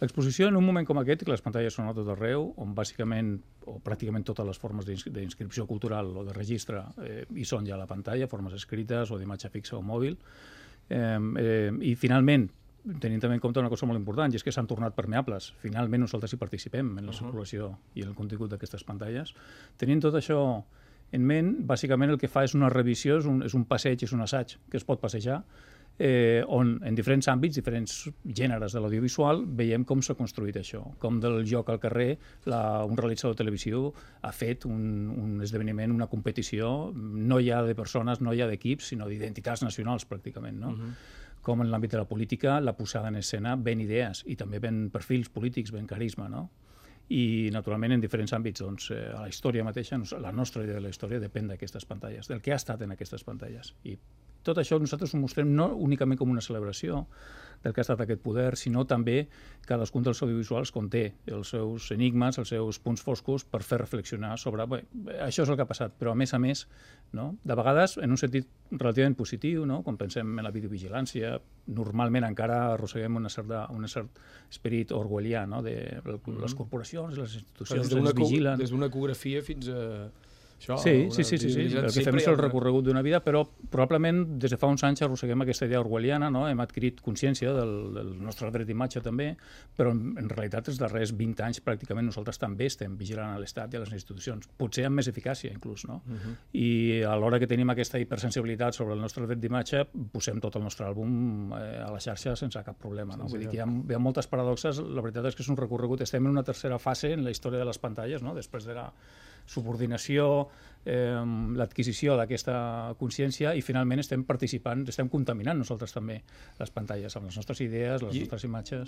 L'exposició, en un moment com aquest, que les pantalles són a tot arreu, on bàsicament, o pràcticament totes les formes d'inscripció cultural o de registre hi són ja a la pantalla, formes escrites o d'imatge fixa o mòbil, i finalment, tenint també en compte una cosa molt important, i és que s'han tornat permeables. Finalment nosaltres hi participem en la circulació i en el contingut d'aquestes pantalles. Tenint tot això en ment, bàsicament el que fa és una revisió, és un passeig, és un assaig que es pot passejar, on en diferents àmbits, diferents gèneres de l'audiovisual, veiem com s'ha construït això, com del joc al carrer un realitzador televisiu ha fet un esdeveniment, una competició, no ja de persones, no ja d'equips, sinó d'identitats nacionals pràcticament, no? Com en l'àmbit de la política, la posada en escena ven idees i també ven perfils polítics, ven carisma, no? I, naturalment, en diferents àmbits, doncs, a la història mateixa, la nostra idea de la història depèn d'aquestes pantalles, del que ha estat en aquestes pantalles. I tot això nosaltres ho mostrem no únicament com una celebració del que ha estat aquest poder, sinó també cadascun dels audiovisuals conté els seus enigmes, els seus punts foscos per fer reflexionar sobre això és el que ha passat, però a més, no? De vegades en un sentit relativament positiu, no? Quan pensem en la videovigilància, normalment encara arrosseguem un cert esperit orwellià, no? De les corporacions, les institucions ens vigilen. Des d'una ecografia fins a... Sí. El que fem és el recorregut d'una vida, però probablement des de fa uns anys arrosseguem aquesta idea orwelliana, no? Hem adquirit consciència del nostre dret d'imatge també, però en realitat els darrers 20 anys pràcticament nosaltres també estem vigilant a l'Estat i a les institucions, potser amb més eficàcia inclús, no? I a l'hora que tenim aquesta hipersensibilitat sobre el nostre dret d'imatge, posem tot el nostre àlbum a la xarxa sense cap problema, no? Vull dir que hi ha moltes paradoxes, la veritat és que és un recorregut, estem en una tercera fase en la història de les pantalles, no? Després de la subordinació, l'adquisició d'aquesta consciència i finalment estem participant, estem contaminant nosaltres també les pantalles amb les nostres idees, les nostres imatges.